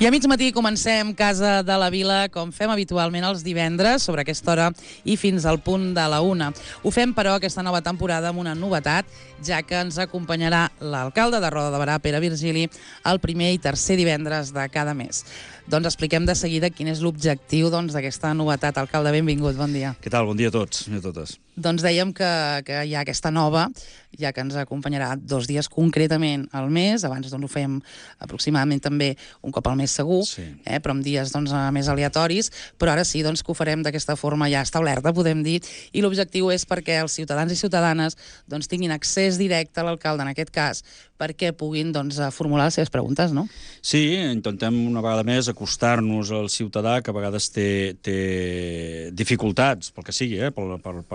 I a mig matí comencem Casa de la Vila, com fem habitualment els divendres, sobre aquesta hora i fins al punt de la 1. Ho fem, però, aquesta nova temporada amb una novetat, ja que ens acompanyarà l'alcalde de Roda de Berà, Pere Virgili, el primer i tercer divendres de cada mes. Doncs expliquem de seguida quin és l'objectiu d'aquesta novetat. Alcalde, benvingut, bon dia. Què tal? Bon dia a tots i a totes. Doncs dèiem que hi ha aquesta nova, ja que ens acompanyarà 2 dies concretament al mes. Abans ho fèiem aproximadament també un cop al mes segur, sí. Però amb dies més aleatoris. Però ara sí que ho farem d'aquesta forma ja establerta, podem dir, i l'objectiu és perquè els ciutadans i ciutadanes tinguin accés directe a l'alcalde, en aquest cas, perquè puguin formular les seves preguntes, no? Sí, intentem una vegada més acostar-nos al ciutadà, que a vegades té dificultats, pel que sigui, per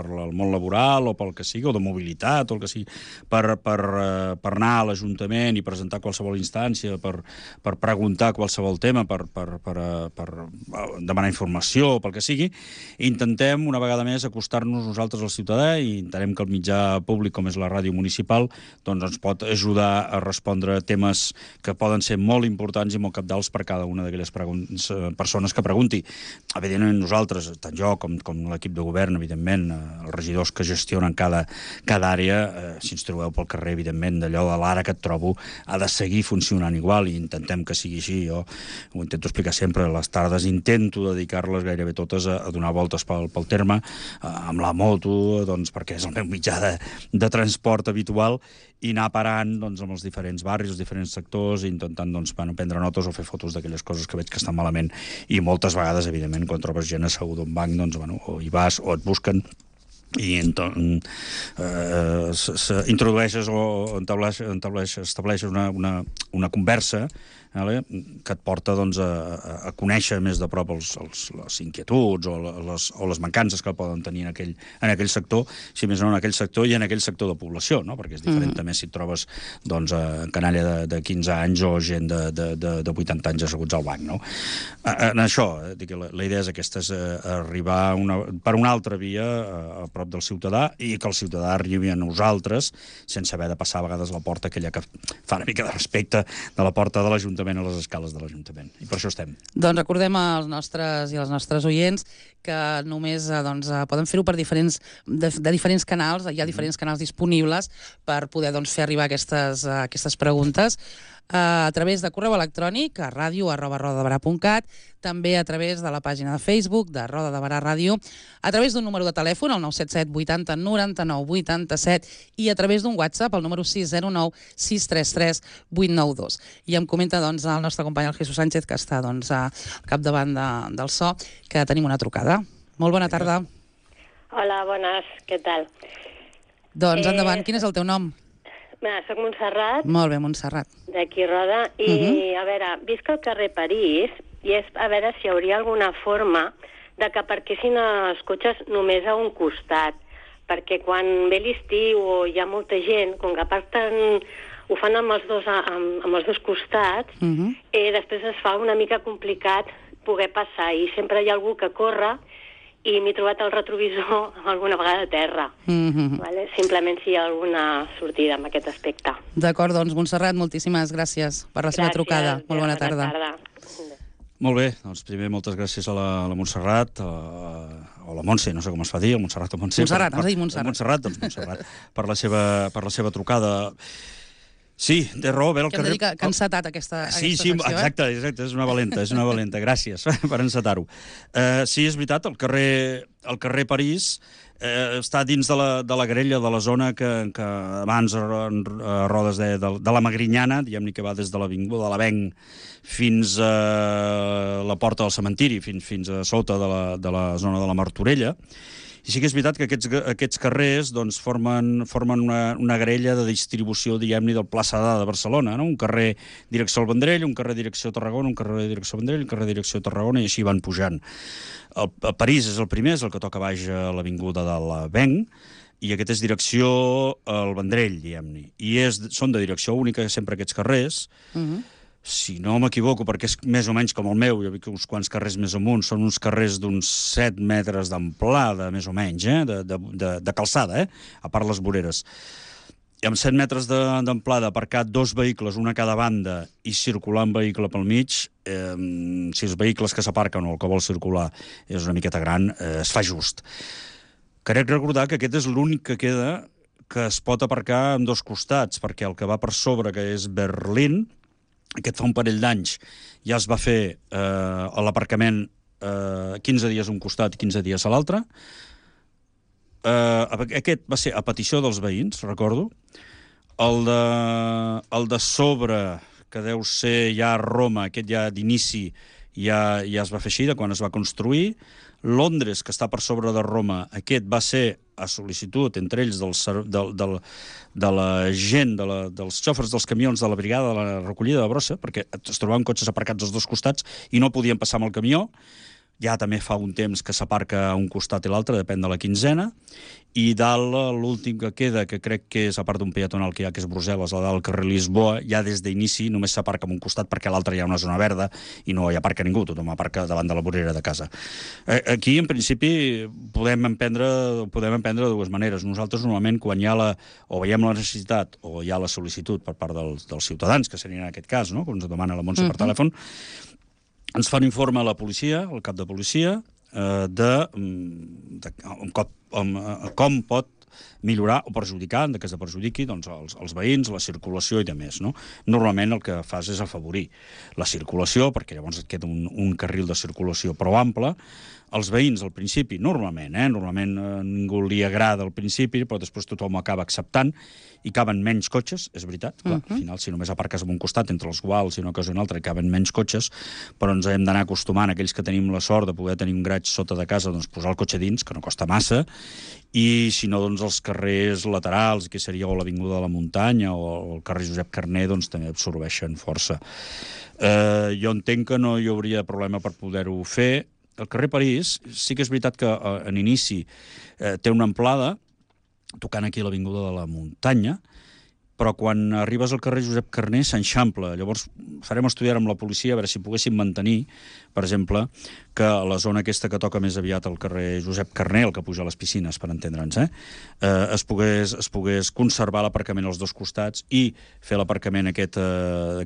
el món laboral o pel que sigui, o de mobilitat, o el que sigui, per anar a l'Ajuntament i presentar qualsevol instància, per preguntar qualsevol tema, per demanar informació, pel que sigui. Intentem una vegada més acostar-nos nosaltres al ciutadà i entenem que el mitjà públic, com és la ràdio municipal, ens pot ajudar a respondre temes que poden ser molt importants i molt cabdals per cada una d'aquelles persones que pregunti. Evidentment, nosaltres, tant jo com l'equip de govern, evidentment, els regidors que gestionen cada àrea, si ens trobeu pel carrer, evidentment, d'allò de l'ara que et trobo, ha de seguir funcionant igual i intentem que sigui així. Jo ho intento explicar sempre, les tardes intento dedicar-les gairebé totes a donar voltes pel terme, amb la moto, perquè és el meu mitjà de transport habitual, i anar parant amb els diferents barris, els diferents sectors, intentant prendre notes o fer fotos d'aquelles coses que veig que estan malament. I moltes vegades, evidentment, quan trobes gent asseguda a un banc, o hi vas o et busquen i introdueixes o estableixes una conversa que et porta a conèixer més de prop les inquietuds o les mancances que poden tenir en aquell sector, si més no en aquell sector i en aquell sector de població, perquè és diferent també si et trobes canalla de 15 anys o gent de 80 anys asseguts al banc. En això, la idea és aquesta, és arribar per una altra via a prop del ciutadà i que el ciutadà arribi a nosaltres sense haver de passar a vegades la porta aquella que fa una mica de respecte de la porta de l'Ajuntament a les escales de l'Ajuntament. I per això estem. Doncs recordem als nostres i als nostres oients que només poden fer-ho de diferents canals. Hi ha diferents canals disponibles per poder fer arribar aquestes preguntes a través de correu electrònic a radio@rodadeberà.cat, també a través de la pàgina de Facebook de Roda de Berà Ràdio, a través d'un número de telèfon, el 977 80 99 87, i a través d'un WhatsApp, el número 609 633 892. I em comenta el nostre company, el Jesús Sánchez, que està al capdavant del so, que tenim una trucada. Molt bona tarda. Hola, bones, què tal? Doncs endavant, quin és el teu nom? Soc Montserrat. Molt bé, Montserrat. D'aquí Roda. I, a veure, visc al carrer París i és a veure si hi hauria alguna forma de que aparquessin els cotxes només a un costat. Perquè quan ve l'estiu o hi ha molta gent, com que ho fan amb els dos costats, després es fa una mica complicat poder passar i sempre hi ha algú que corre i m'he trobat el retrovisor alguna vegada a terra. Simplement si hi ha alguna sortida en aquest aspecte. D'acord, doncs, Montserrat, moltíssimes gràcies per la seva trucada. Molt bona tarda. Molt bé, doncs primer moltes gràcies a la Montserrat, o la Montse, no sé com es fa dir, el Montserrat o Montse. Montserrat, has dit Montserrat. Montserrat, doncs Montserrat, per la seva trucada. Sí, té raó, ve al carrer... Que hem de dir que ha encetat aquesta secció, exacte, és una valenta, gràcies per encetar-ho. Sí, és veritat, el carrer París està dins de la grella de la zona que abans a Rodes de la Magrinyana, diguem-ne, que va des de l'Avinguda de l'Avenc fins a la porta del cementiri, fins a sota de la zona de la Martorella. I sí que és veritat que aquests carrers formen una grella de distribució, diguem-ne, del Plaça de Barcelona, no? Un carrer direcció al Vendrell, un carrer direcció a Tarragona, un carrer direcció al Vendrell, un carrer direcció a Tarragona, i així van pujant. El París és el primer, és el que toca baix a l'Avinguda de l'Avenc, i aquest és direcció al Vendrell, diguem-ne. I són de direcció única sempre aquests carrers. Si no m'equivoco, perquè és més o menys com el meu, jo veig uns quants carrers més amunt, són uns carrers d'uns 7 metres d'amplada, més o menys, de calçada, a part les voreres. amb 7 metres d'amplada, aparcar 2 vehicles, una a cada banda, i circular un vehicle pel mig, si els vehicles que s'aparquen o el que vol circular és una miqueta gran, es fa just. Crec recordar que aquest és l'únic que queda que es pot aparcar en 2 costats, perquè el que va per sobre, que és Berlín, aquest fa un parell d'anys, ja es va fer l'aparcament 15 dies a un costat i 15 dies a l'altre. Aquest va ser a petició dels veïns, recordo. El de sobre, que deu ser ja a Roma, aquest ja d'inici ja es va fer així, de quan es va construir. Londres, que està per sobre de Roma, aquest va ser a sol·licitud, entre ells de la gent, dels xòfers dels camions de la brigada de la recollida de brossa, perquè es trobaven cotxes aparcats als 2 costats i no podien passar amb el camió. Ja també fa un temps que s'aparca a un costat i l'altre, depèn de la quinzena, i dalt l'últim que queda, que crec que és, a part d'un peatonal que hi ha, que és Brussel·les, a dalt el carrer Lisboa, ja des d'inici només s'aparca en un costat perquè a l'altre hi ha una zona verda i no hi aparca ningú, tothom aparca davant de la vorera de casa. Aquí, en principi, podem emprendre de 2 maneres. Nosaltres, normalment, quan hi ha o veiem la necessitat o hi ha la sol·licitud per part dels ciutadans, que serien en aquest cas, no?, com ens demana la Montse per telèfon, ens fan informe a la policia, al cap de policia, com pot millorar o perjudicar, en cas de perjudiqui, doncs, els veïns, la circulació i demés, no? Normalment el que fas és afavorir la circulació, perquè llavors et queda un carril de circulació prou ample. Els veïns, al principi, normalment ningú li agrada al principi, però després tothom ho acaba acceptant i caben menys cotxes, és veritat. Clar, al final, si només aparques en un costat, entre els guals i una cosa i una altra, caben menys cotxes, però ens hem d'anar acostumant, aquells que tenim la sort de poder tenir un garatge sota de casa, doncs posar el cotxe dins, que no costa massa, i si no, doncs els carrers laterals, que seria o l'Avinguda de la Muntanya o el carrer Josep Carner, doncs també absorbeixen força. Jo entenc que no hi hauria problema per poder-ho fer. El carrer París, sí que és veritat que en inici té una amplada, tocant aquí l'Avinguda de la Muntanya, però quan arribes al carrer Josep Carner s'enxampla. Llavors farem estudiar amb la policia a veure si poguéssim mantenir, per exemple, que la zona aquesta que toca més aviat al carrer Josep Carner, el que puja a les piscines, per entendre'ns, es pogués conservar l'aparcament als 2 costats i fer l'aparcament aquest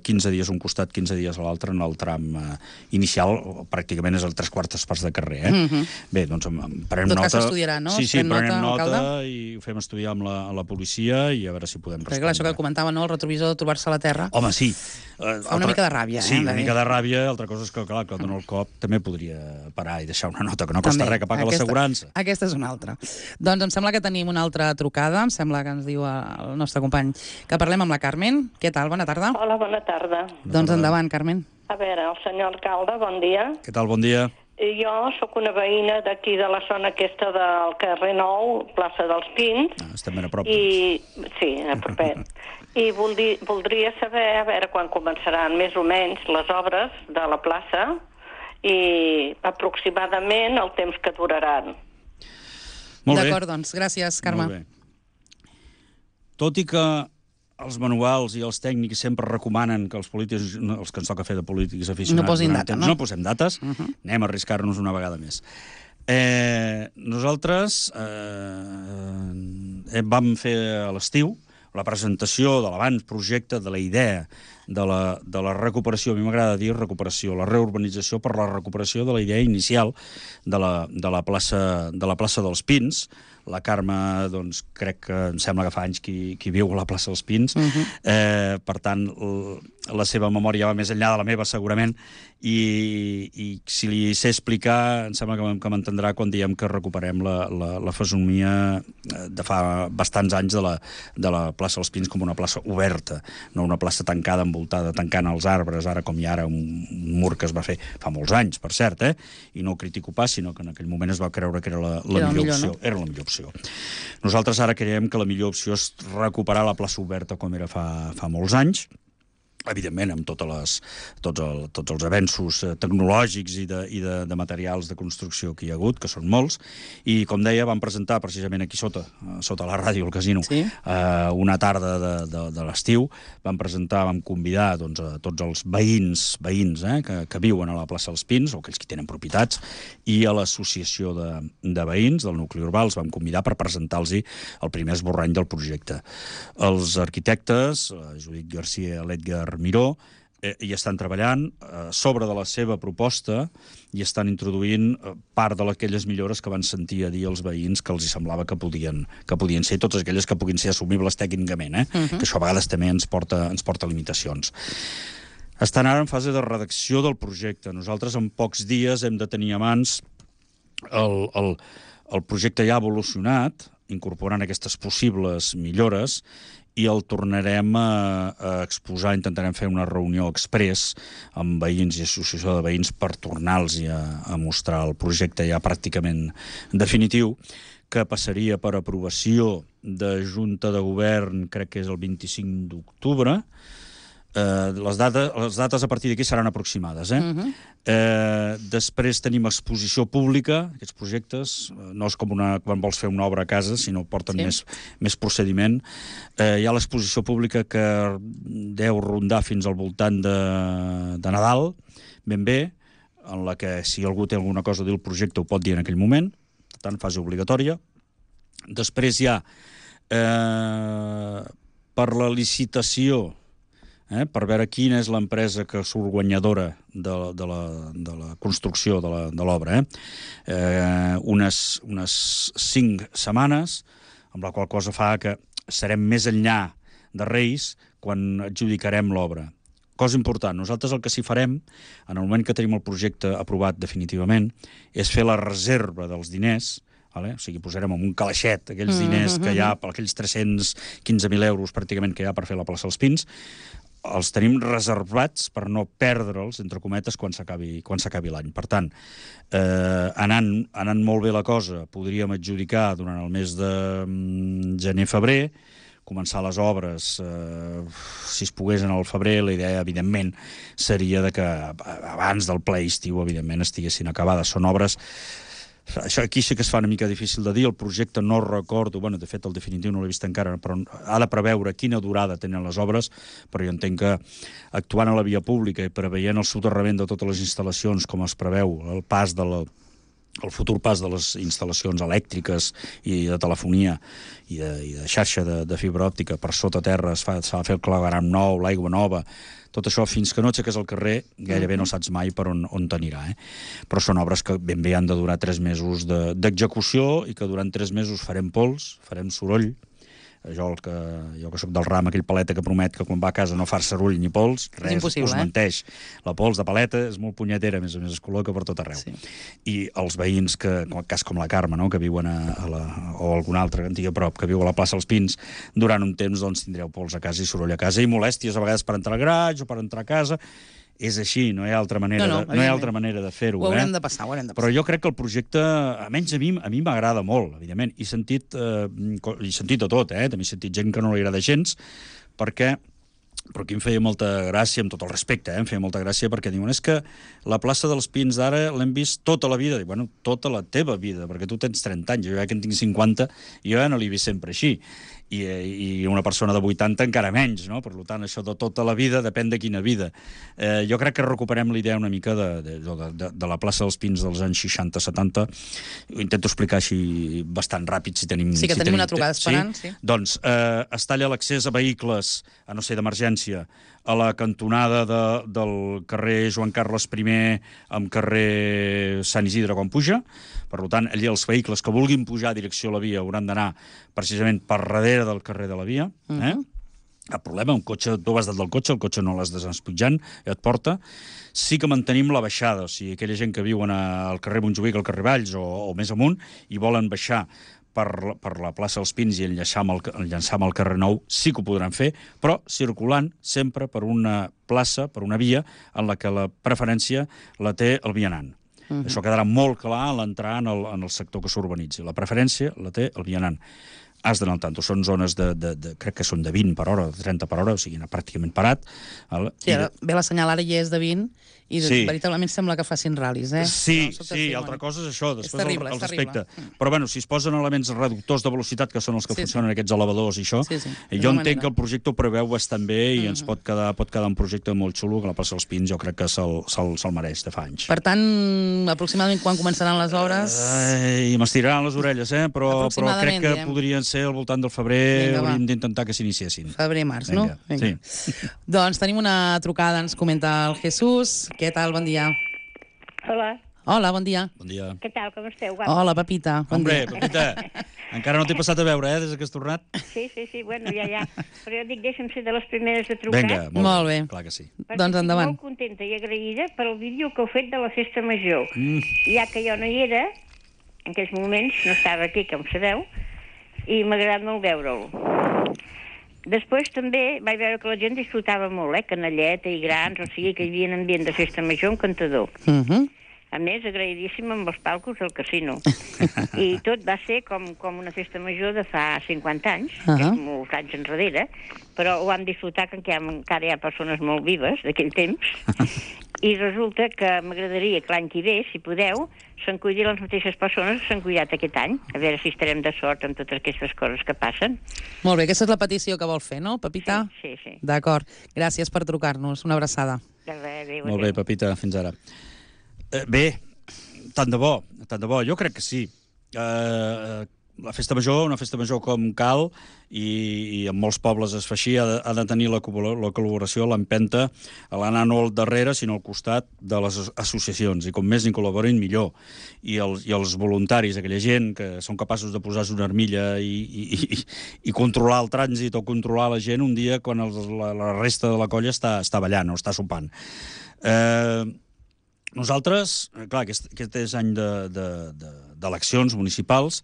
15 dies un costat, 15 dies a l'altre, en el tram inicial, pràcticament és el 3/4 parts de carrer. Bé, doncs prenem nota. Tot cas s'estudiarà, no? Sí, prenem nota i ho fem estudiar amb la policia i a veure si podem respondre. Clar, això que comentava, no?, el retrovisor de trobar-se a la terra. Home, sí. Fa una mica de ràbia, Sí, una mica de ràbia. Altra cosa és que, clar, que dona el cop també podria parar i deixar una nota, que no costa res, que paga l'assegurança. Aquesta és una altra. Doncs em sembla que tenim una altra trucada, em sembla que ens diu el nostre company que parlem amb la Carmen. Què tal? Bona tarda. Hola, bona tarda. Doncs endavant, Carmen. A veure, el senyor alcalde, bon dia. Què tal? Bon dia. Jo sóc una veïna d'aquí de la zona aquesta del carrer Nou, plaça dels Pins. Estem ben a prop. Sí, a propet. I voldria saber, a veure, quan començaran més o menys les obres de la plaça i aproximadament el temps que duraran. Molt bé. D'acord, doncs, gràcies, Carme. Molt bé. Tot i que els manuals i els tècnics sempre recomanen que els polítics, els que ens toca fer de polítics aficionats, no posin data, no? No posem dates, anem a arriscar-nos una vegada més. Nosaltres vam fer a l'estiu la presentació de l'avantprojecte, de la idea de la recuperació, a mi m'agrada dir recuperació, la reurbanització per la recuperació de la idea inicial de la plaça dels Pins. La Carme, doncs, crec que em sembla que fa anys que viu a la plaça dels Pins. Per tant, la seva memòria va més enllà de la meva, segurament, i si li sé explicar, em sembla que m'entendrà quan diem que recuperem la fesomia de fa bastants anys de la plaça dels Pins com una plaça oberta, no una plaça tancada, envoltada, tancant els arbres, ara com hi ha ara un mur que es va fer fa molts anys, per cert, i no ho critico pas, sinó que en aquell moment es va creure que era la millor opció. Era la millor opció. Nosaltres ara creiem que la millor opció és recuperar la plaça oberta com era fa molts anys, evidentment, amb tots els avenços tecnològics i de materials de construcció que hi ha hagut, que són molts, i, com deia, vam presentar precisament aquí sota la ràdio, al casino, una tarda de l'estiu, vam convidar a tots els veïns que viuen a la plaça dels Pins, o aquells que tenen propietats, i a l'associació de veïns del nucli urbà els vam convidar per presentar-los el primer esborrany del projecte. Els arquitectes, Judit Garcia i l'Edgar Miró, hi estan treballant sobre de la seva proposta i estan introduint part d'aquelles millores que van sentir a dir els veïns que els semblava que podien ser, totes aquelles que puguin ser assumibles tècnicament, que això a vegades també ens porta limitacions. Estan ara en fase de redacció del projecte. Nosaltres en pocs dies hem de tenir a mans el projecte ja evolucionat, incorporant aquestes possibles millores, i el tornarem a exposar, intentarem fer una reunió express amb veïns i associació de veïns per tornar-los a mostrar el projecte ja pràcticament definitiu, que passaria per aprovació de Junta de Govern, crec que és el 25 d'octubre. Les dates a partir d'aquí seran aproximades. Després tenim exposició pública. Aquests projectes no és com quan vols fer una obra a casa, sinó porten més procediment. Hi ha l'exposició pública que deu rondar fins al voltant de Nadal, ben bé, en la que si algú té alguna cosa a dir el projecte ho pot dir en aquell moment, per tant, fase obligatòria. Després hi ha per la licitació, per veure quina és l'empresa que surt guanyadora de la construcció de l'obra. Unes 5 setmanes, amb la qual cosa fa que serem més enllà de Reis quan adjudicarem l'obra. Cosa important, nosaltres el que sí farem, en el moment que tenim el projecte aprovat definitivament, és fer la reserva dels diners, o sigui, posarem en un calaixet aquells diners que hi ha, aquells 315.000 euros pràcticament que hi ha per fer la plaça dels Pins, els tenim reservats per no perdre'ls, entre cometes, quan s'acabi l'any. Per tant, anant molt bé la cosa, podríem adjudicar durant el mes de gener-febrer, començar les obres, si es pogués en el febrer, la idea, evidentment, seria que abans del ple estiu, evidentment, estiguessin acabades. Són obres... Això aquí sí que es fa una mica difícil de dir, el projecte no recordo, de fet el definitiu no l'he vist encara, però ha de preveure quina durada tenen les obres, però jo entenc que actuant a la via pública i preveient el soterrament de totes les instal·lacions, com es preveu, el futur pas de les instal·lacions elèctriques i de telefonia i de xarxa de fibra òptica per sota terra, s'ha de fer el clavegram nou, l'aigua nova, tot això, fins que no aixeques el carrer, gairebé no saps mai per on t'anirà. Però són obres que ben bé han de durar 3 mesos d'execució i que durant 3 mesos farem pols, farem soroll. Jo que soc del ram, aquell paleta que promet que quan va a casa no fa soroll ni pols, res, us menteix. La pols de paleta és molt punyetera, a més es col·loca per tot arreu. I els veïns, en el cas com la Carme, que viuen o algun altre antiga prop, que viu a la plaça dels Pins, durant un temps tindreu pols a casa i soroll a casa i molèsties a vegades per entrar al garatge o per entrar a casa. És així, no hi ha altra manera de fer-ho. Ho haurem de passar, Però jo crec que el projecte, almenys a mi m'agrada molt, evidentment. He sentit de tot, també he sentit gent que no li agrada gens, però aquí em feia molta gràcia, amb tot el respecte, em feia molta gràcia, perquè diuen, és que la plaça dels Pins d'ara l'hem vist tota la vida. Dic, tota la teva vida, perquè tu tens 30 anys, jo ja que en tinc 50, jo ja no l'he vist sempre així. I una persona de 80 encara menys, no? Per tant, això de tota la vida depèn de quina vida. Jo crec que recuperem la idea una mica de la plaça dels Pins dels anys 60-70. Ho intento explicar així bastant ràpid, si tenim... Sí, que tenim una trucada esperant, sí. Doncs es talla l'accés a vehicles, a no ser d'emergència, a la cantonada del carrer Joan Carles I amb carrer Sant Isidre quan puja. Per tant, allà els vehicles que vulguin pujar a direcció a la via hauran d'anar precisament per darrere del carrer de la via. Cap problema, un cotxe, tu vas dalt del cotxe, el cotxe no l'has despenjant, et porta. Sí que mantenim la baixada, o sigui, aquella gent que viuen al carrer Montjuïc, al carrer Valls o més amunt, i volen baixar per la plaça dels Pins i enllaçar amb el carrer Nou, sí que ho podran fer, però circulant sempre per una plaça, per una via, en la que la preferència la té el vianant. Això quedarà molt clar a l'entrar en el sector que s'urbanitzi. La preferència la té el vianant. has d'anar al tanto. Són zones crec que són de 20 per hora, de 30 per hora, o sigui, anar pràcticament parat. Sí, ve la senyal, ara ja és de 20, i veritablement sembla que facin ral·lis, eh? Sí, altra cosa és això, després terrible, el respecte. Però bueno, si es posen elements reductors de velocitat, que són els que funcionen aquests elevadors i això, jo entenc que el projecte ho preveu bastant bé i ens pot quedar un projecte molt xulo, que la plaça dels Pins jo crec que se'l mereix de fa anys. Per tant, aproximadament quan començaran les obres? I m'estiraran les orelles, però crec que podrien ser al voltant del febrer, hauríem d'intentar que s'iniciessin. Febrer-març, no? Sí. Doncs tenim una trucada, ens comenta el Jesús. Què tal? Bon dia. Hola. Hola, bon dia. Bon dia. Què tal, com esteu? Hola, Pepita. Hombre, Pepita, encara no t'he passat a veure, des que has tornat? Sí, bueno, ja. Però jo dic, deixa'm ser de les primeres de trucar. Vinga, molt bé. Clar que sí. Doncs endavant. Estic molt contenta i agraïda pel vídeo que heu fet de la festa major. Ja que jo no hi era, en aquells moments, no estava aquí, com sabeu, i m'ha agradat molt veure'l. Després també vaig veure que la gent disfrutava molt, canalleta i grans, o sigui que hi havia un ambient de festa major encantador. A més, agraïdíssim amb els palcos del casino. I tot va ser com una festa major de fa 50 anys, molts anys enrere, però ho vam disfrutar que encara hi ha persones molt vives d'aquell temps, i resulta que m'agradaria que l'any que ve, si podeu, se'n cuidin les mateixes persones que s'han cuidat aquest any. A veure si estarem de sort amb totes aquestes coses que passen. Molt bé, aquesta és la petició que vol fer, no, Pepita? Sí. D'acord. Gràcies per trucar-nos. Una abraçada. Adéu. Molt bé, Pepita, fins ara. Bé, tant de bo. Jo crec que sí. La festa major, una festa major com cal, i en molts pobles es fa així, ha de tenir la col·laboració, l'empenta, a l'anar no al darrere, sinó al costat de les associacions, i com més n'hi col·laborin, millor. I els voluntaris, aquella gent que són capaços de posar-se una armilla i controlar el trànsit o controlar la gent un dia quan la resta de la colla està ballant o està sopant. Nosaltres, clar, aquest és any d'eleccions municipals.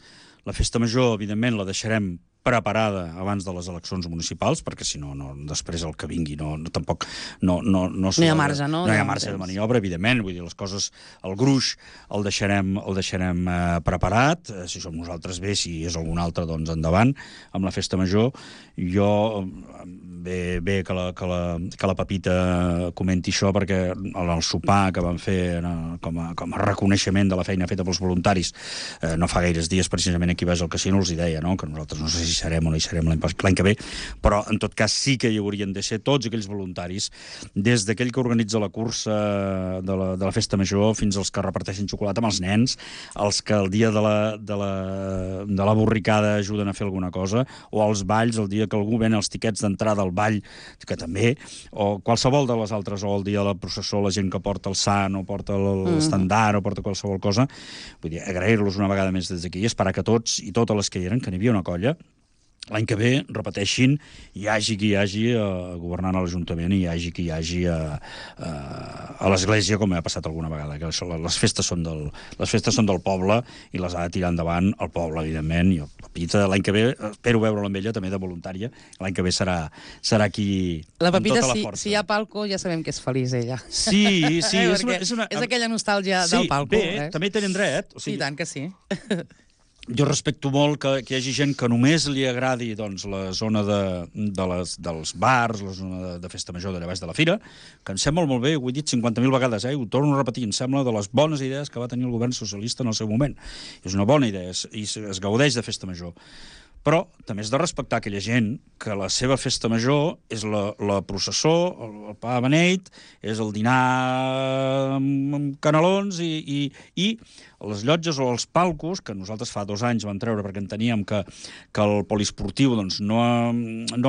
La festa major, evidentment, la deixarem preparada abans de les eleccions municipals, perquè si no, després el que vingui tampoc no hi ha marge, no? No hi ha marge de maniobra, evidentment. Vull dir, les coses, el gruix el deixarem preparat. Si som nosaltres bé, si és algun altre, doncs endavant amb la festa major. Jo bé que la Pepita comenti això, perquè el sopar que van fer com a reconeixement de la feina feta pels voluntaris no fa gaires dies, precisament aquí vas al casino els hi deia, no? Que nosaltres no sé si serem o no hi serem l'any que ve, però en tot cas sí que hi haurien de ser tots aquells voluntaris, des d'aquell que organitza la cursa de la festa major fins als que reparteixen xocolata amb els nens, els que el dia de la borricada ajuden a fer alguna cosa, o els balls, el dia que algú ven els tiquets d'entrada al ball, que també, o qualsevol de les altres, o el dia de la processó, la gent que porta el sant, o porta l'estandard, o porta qualsevol cosa. Vull dir, agrair-los una vegada més des d'aquí i esperar que tots i totes les que hi eren, que n'hi havia una colla, l'any que ve repeteixin, hi hagi qui hi hagi governant a l'Ajuntament i hi hagi qui hi hagi a l'Església, com ha passat alguna vegada, que les festes són del poble i les ha de tirar endavant el poble, evidentment. I Pepita, l'any que ve, espero veure-la amb ella, també de voluntària, l'any que ve serà qui... La Pepita, si hi ha palco, ja sabem que és feliç, ella. Sí, és aquella nostàlgia del palco. Sí, bé, també hi tenen dret. I tant que sí. Jo respecto molt que hi hagi gent que només li agradi la zona dels bars, la zona de festa major d'allà baix de la fira, que em sembla molt bé, ho he dit 50.000 vegades, ho torno a repetir, em sembla de les bones idees que va tenir el govern socialista en el seu moment. És una bona idea i es gaudeix de festa major. Però també és de respectar aquella gent que la seva festa major és la processó, el pa de beneit, és el dinar amb canelons i les llotges o els palcos, que nosaltres fa 2 anys vam treure perquè enteníem que el poliesportiu no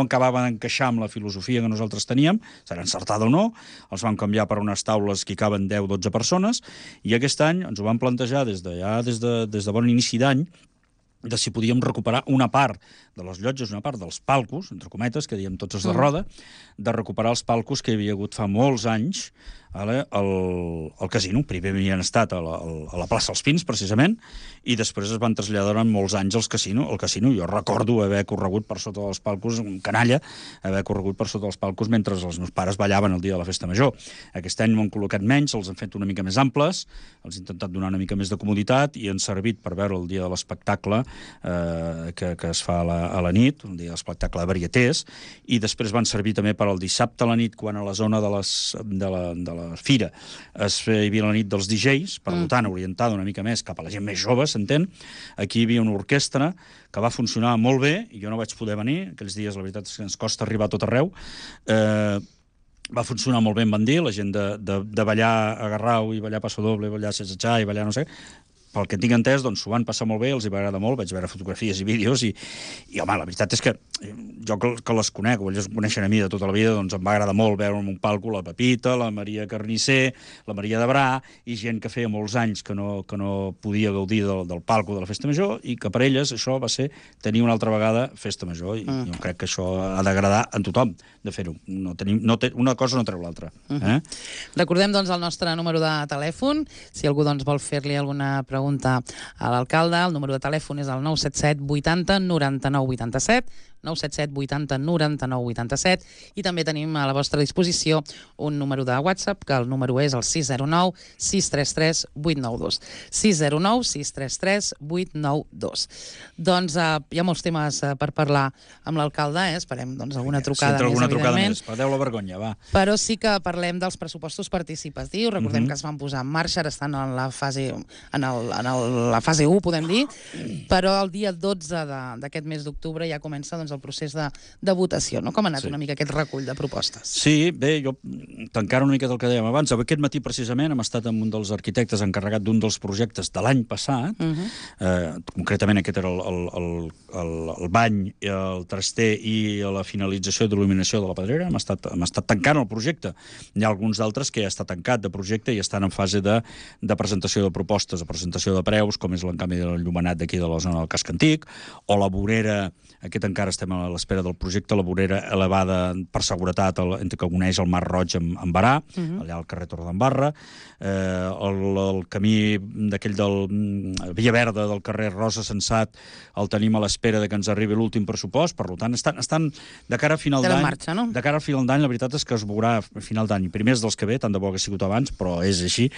acabava d'encaixar amb la filosofia que nosaltres teníem, serà encertada o no, els vam canviar per unes taules que hi caben 10-12 persones, i aquest any ens ho vam plantejar des de bon inici d'any, de si podíem recuperar una part de les llotges, una part dels palcos, entre cometes, que diem tots els de roda, de recuperar els palcos que hi havia hagut fa molts anys al casino. Primer havien estat a la plaça dels Pins, precisament, i després es van traslladar durant molts anys al casino. Jo recordo haver corregut per sota dels palcos, un canalla, haver corregut per sota dels palcos mentre els meus pares ballaven el dia de la festa major. Aquest any ho han col·locat menys, els han fet una mica més amples, els han intentat donar una mica més de comoditat i han servit per veure el dia de l'espectacle que es fa a la nit, un dia de l'espectacle de varietés, i després van servir també per al dissabte a la nit, quan a la zona de la fira hi havia la nit dels DJs, per tant, orientada una mica més cap a la gent més jove, s'entén. Aquí hi havia una orquestra que va funcionar molt bé, i jo no vaig poder venir, aquells dies la veritat és que ens costa arribar a tot arreu, va funcionar molt bé, em van dir, la gent de ballar agarrau i ballar passo doble, i ballar setsatxà i ballar no sé, pel que tinc entès, doncs s'ho van passar molt bé, els hi va agradar molt, vaig veure fotografies i vídeos i home, la veritat és que jo que les conec, o ells em coneixen a mi de tota la vida, doncs em va agradar molt veure en un palco la Pepita, la Maria Carnisser, la Maria de Bra, i gent que feia molts anys que no podia gaudir del palco de la Festa Major, i que per elles això va ser tenir una altra vegada Festa Major, i jo crec que això ha d'agradar a tothom de fer-ho. Una cosa no treu l'altra. Recordem, doncs, el nostre número de telèfon, si algú doncs, vol fer-li alguna pregunta a l'alcalde, el número de telèfon és el 977 80 99 87, 977 80 99 87, i també tenim a la vostra disposició un número de WhatsApp, que el número és el 609 633 892. 609 633 892. Doncs hi ha molts temes per parlar amb l'alcalde, esperem doncs, alguna trucada més, evidentment. Perdeu la vergonya, va. Però sí que parlem dels pressupostos participatius. Recordem que es van posar en marxa, ara estan en la fase 1, podem dir, però el dia 12 d'aquest mes d'octubre ja comença doncs, el procés de votació, no? Com ha anat una mica aquest recull de propostes? Sí, bé, jo tancant una miqueta el que dèiem abans, aquest matí precisament hem estat amb un dels arquitectes encarregat d'un dels projectes de l'any passat, concretament aquest era el bany, el traster i la finalització d'il·luminació de la Pedrera, hem estat tancant el projecte. Hi ha alguns d'altres que ja està tancat de projecte i estan en fase de presentació de propostes, de presentació de preus, com és l'encanvi del llumenat d'aquí de la zona del Casc Antic, o la vorera, aquest encara estem a l'espera del projecte, la vorera elevada per seguretat entre que uneix el Mar Roig amb Barà, allà al carrer Torredembarra, el camí d'aquell del Via Verda del carrer Rosa Sensat el tenim a l'espera de que ens arribi l'últim pressupost, per tant, estan de cara a final d'any, no? De cara al final d'any, la veritat és que es veurà a final d'any, primers dels que ve, tant de bo que ha sigut abans, però és així,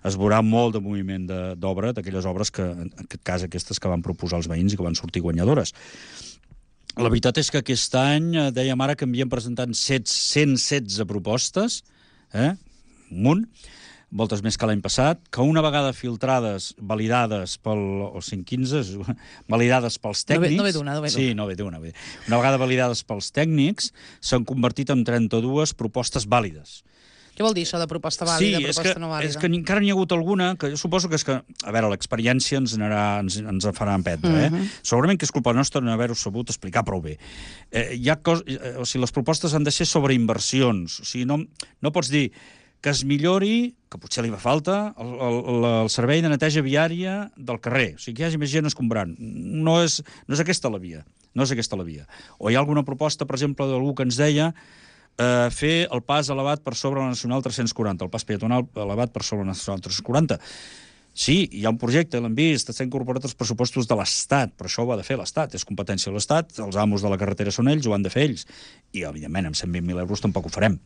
es veurà molt de moviment d'obra, d'aquelles obres que, en aquest cas, aquestes que van proposar els veïns i que van sortir guanyadores. La veritat és que aquest any, dèiem ara que havíem presentat 116 propostes, un munt, moltes més que l'any passat, que una vegada filtrades, validades o 115, validades pels tècnics... No ve d'una. Sí, no ve d'una. Una vegada validades pels tècnics, s'han convertit en 32 propostes vàlides. Què vol dir això de proposta vàlida, proposta no vàlida? És que encara n'hi ha hagut alguna, que jo suposo que és que, a veure, l'experiència ens farà emprendre, Segurament que és culpa nostra no haver-ho sabut explicar prou bé. O sigui, les propostes han de ser sobre inversions, o sigui, no pots dir que es millori, que potser li fa falta, el servei de neteja viària del carrer, o sigui, que hi hagi més gent escombrant. No és aquesta la via, O hi ha alguna proposta, per exemple, d'algú que ens deia fer el pas elevat per sobre la Nacional 340, el pas peatonal elevat per sobre la Nacional 340. Sí, hi ha un projecte, l'hem vist, està incorporat als pressupostos de l'Estat, però això ho ha de fer l'Estat, és competència de l'Estat, els amos de la carretera són ells, ho han de fer ells, i evidentment amb 120.000 euros tampoc ho farem.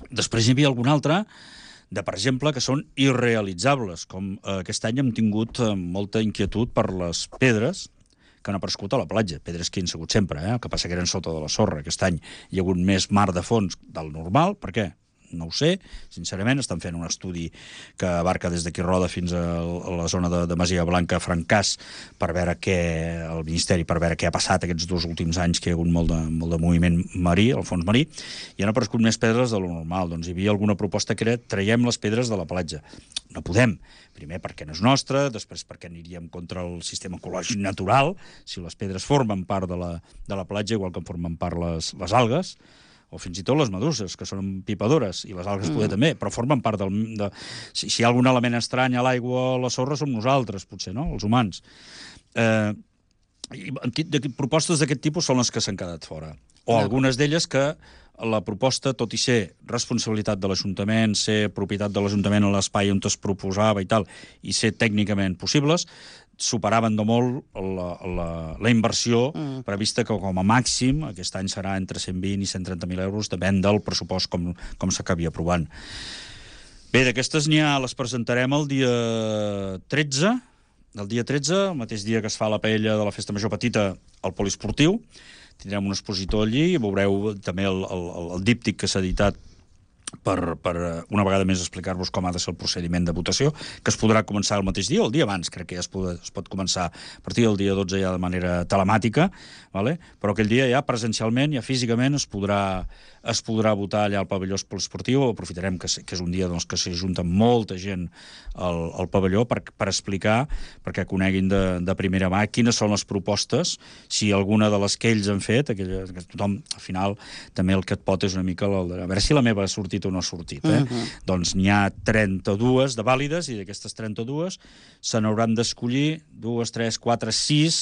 Després hi havia algun altre, per exemple, que són irrealitzables, com aquest any hem tingut molta inquietud per les pedres que han aparegut a la platja, pedres que hi han sigut sempre, el que passa que eren sota de la sorra. Aquest any hi ha hagut més mar de fons del normal. Per què? No ho sé, sincerament. Estan fent un estudi que abarca des d'aquí Roda fins a la zona de Masia Blanca, Francàs, per veure el Ministeri, per veure què ha passat aquests 2 últims anys, que hi ha hagut molt de moviment marí, al fons marí, i han aparegut més pedres de lo normal. Doncs hi havia alguna proposta que era traiem les pedres de la platja. No podem. Primer perquè no és nostre, després perquè aniríem contra el sistema ecològic natural, si les pedres formen part de la platja, igual que en formen part les algues, o fins i tot les meduses, que són pipadores, i les algues poder també, però formen part si hi ha algun element estrany a l'aigua o a la sorra som nosaltres, potser, no?, els humans. propostes d'aquest tipus són les que s'han quedat fora. O algunes d'elles que la proposta, tot i ser responsabilitat de l'Ajuntament, ser propietat de l'Ajuntament en l'espai on es proposava i tal, i ser tècnicament possibles, superaven de molt la inversió prevista, que com a màxim aquest any serà entre 120 i 130.000 euros, depèn del pressupost com s'acabi aprovant. Bé, d'aquestes les presentarem el dia 13, el mateix dia que es fa la paella de la Festa Major Petita al Poliesportiu. Tindrem un expositor allí i veureu també el díptic que s'ha editat per una vegada més explicar-vos com ha de ser el procediment de votació, que es podrà començar el mateix dia o el dia abans, crec que ja es pot començar a partir del dia 12 ja de manera telemàtica, vale? Però aquell dia ja presencialment, ja físicament es podrà votar allà al pavelló esportiu. Aprofitarem que és un dia que s'hi junta molta gent al pavelló per explicar, perquè coneguin de primera mà quines són les propostes, si alguna de les que ells han fet, que tothom, al final, també el que et pot és una mica a veure si la meva ha sortit o no ha sortit. Doncs n'hi ha 32 de vàlides, i d'aquestes 32 se n'hauran d'escollir 2, 3, 4, 6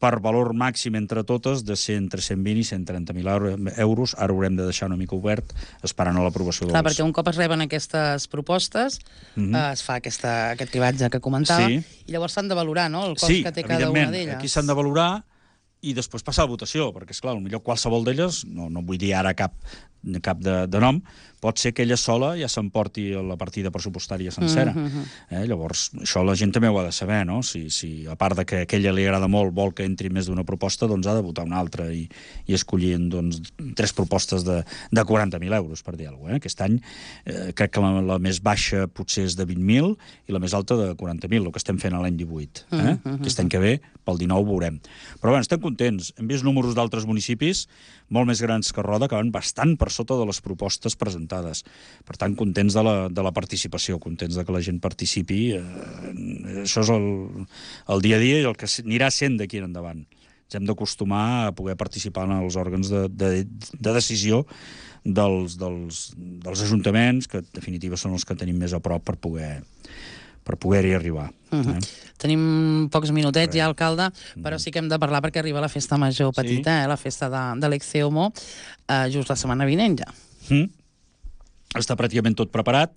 per valor màxim entre totes de ser entre 120 i 130.000 euros. Ara haurem de deixar una mica obert esperant a l'aprovació dels... Clar, perquè un cop es reben aquestes propostes es fa aquest cribatge que comentava, i llavors s'han de valorar, no?, el cost que té cada una d'elles. Sí, aquí s'han de valorar i després passar a votació, perquè, esclar, potser qualsevol d'elles, no vull dir ara cap de nom, pot ser que ella sola ja s'emporti la partida pressupostària sencera. Llavors, això la gent també ho ha de saber, no? Si a part de que a ella li agrada molt, vol que entri més d'una proposta, doncs ha de votar una altra i escollir 3 propostes de 40.000 euros, per dir alguna cosa. Aquest any crec que la més baixa potser és de 20.000 i la més alta de 40.000, el que estem fent a l'any 18. Aquest any que ve, pel 19, veurem. Però bé, estem contents. Hem vist números d'altres municipis molt més grans que Roda, que van bastant per sota de les propostes presentades. Per tant, contents de la participació, contents de que la gent participi. Això és el dia a dia i el que anirà sent d'aquí en endavant. Ens hem d'acostumar a poder participar en els òrgans de decisió dels ajuntaments, que en definitiva són els que tenim més a prop per poder-hi arribar. Tenim pocs minutets ja, alcalde, però sí que hem de parlar perquè arriba la Festa Major Petita, la festa de l'Exceomo, just la setmana vinent ja. Està pràcticament tot preparat,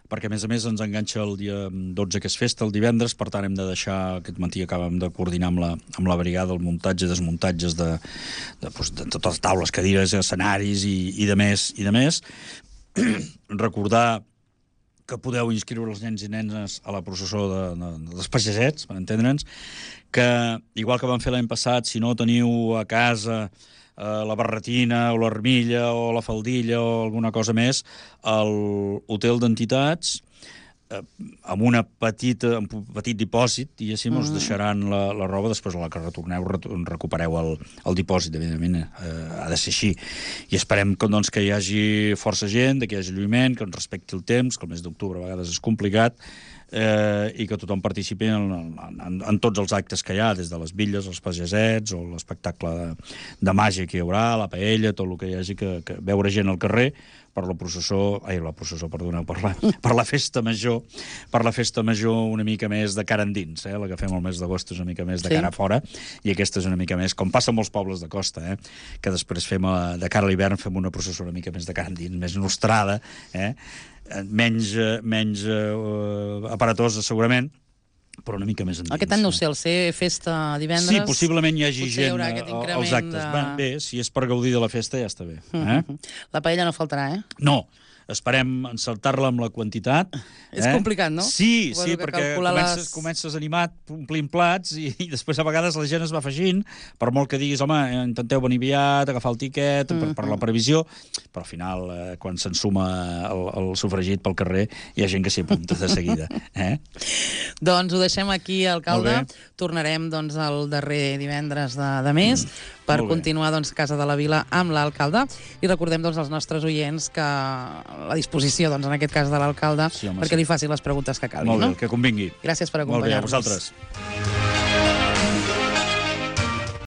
perquè a més ens enganxa el dia 12, que és festa, el divendres, per tant hem de deixar, aquest matí acabem de coordinar amb la brigada el muntatge i desmuntatges de totes les taules, cadires, escenaris i de més. Recordar que podeu inscriure els nens i nenes a la processó dels pagesets, per entendre'ns, que, igual que vam fer l'any passat, si no teniu a casa la barretina o l'armilla o la faldilla o alguna cosa més, l'hotel d'entitats, amb un petit dipòsit, diguéssim, us deixaran la roba, després a la que retorneu recupereu el dipòsit, evidentment, ha de ser així. I esperem que hi hagi força gent, que hi hagi lluïment, que ens respecti el temps, que el mes d'octubre a vegades és complicat, i que tothom participi en tots els actes que hi ha, des de les bitlles, els pagesets, o l'espectacle de màgia que hi haurà, la paella, tot el que hi hagi, que veure gent al carrer per la festa major una mica més de cara endins, la que fem el mes d'agost és una mica més de cara a fora, i aquesta és una mica més, com passa en molts pobles de costa, que després fem de cara a l'hivern fem una processó una mica més de cara endins, més nostrada, menys aparatosa segurament, però una mica més endins. Aquest any no ho sé, al ser festa divendres... Sí, possiblement hi hagi gent als actes. Bé, si és per gaudir de la festa ja està bé. La paella no faltarà, No, esperem encertar-la amb la quantitat. És complicat, no? Sí, perquè comences animat, omplint plats, i després a vegades la gent es va afegint, per molt que diguis, home, intenteu venir aviat, agafar el tiquet, per la previsió, però al final, quan s'ensuma el sofregit pel carrer, hi ha gent que s'hi apunta de seguida. Doncs ho deixem aquí, alcalde. Tornarem el darrer divendres de mes per continuar a Casa de la Vila amb l'alcalde. I recordem als nostres oients que la disposició, en aquest cas de l'alcalde, perquè li faci les preguntes que calguin. Molt bé, que convingui. Gràcies per acompanyar-nos. Molt bé, a vosaltres.